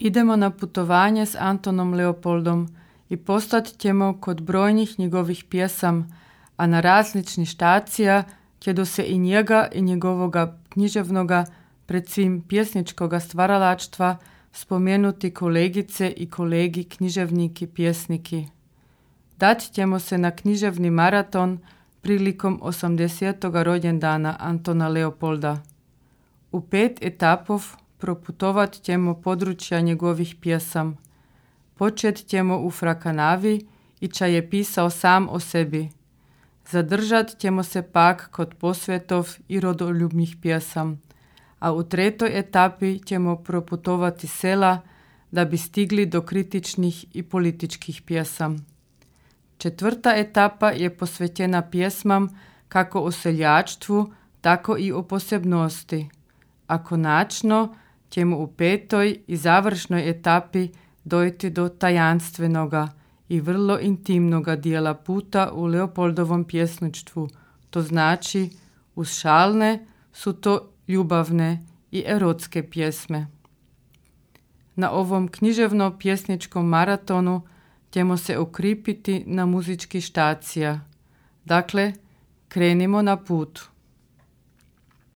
Idemo na putovanje s Antonom Leopoldom i postat ćemo kod brojnih njegovih pjesam, a na različni štacija ćedo se i njega i njegovoga književnoga, pred svim pjesničkoga stvaralaštva, spomenuti kolegice i kolegi književniki pjesniki. Dat ćemo se na književni maraton prilikom 80. rođendana Antona Leopolda. U 5 etapov proputovat ćemo područja njegovih pjesam. Počet ćemo u Frakanavi i čaj je pisao sam o sebi. Zadržat ćemo se pak kod posvetov i rodoljubnih pjesam, a u 3. etapi ćemo proputovati sela da bi stigli do kritičnih i političkih pjesam. 4. etapa je posvećena pjesmam kako o seljačstvu, tako i o posebnosti, a konačno ćemo u 5. i završnoj etapi dojти do tajanstvenoga i vrlo intimnoga dijela puta u Leopoldovom pjesništvu, to znači uz šalne su to ljubavne i erotske pjesme. Na ovom književno-pjesničkom maratonu ćemo se okripiti na muzički štacija. Dakle, krenimo na put.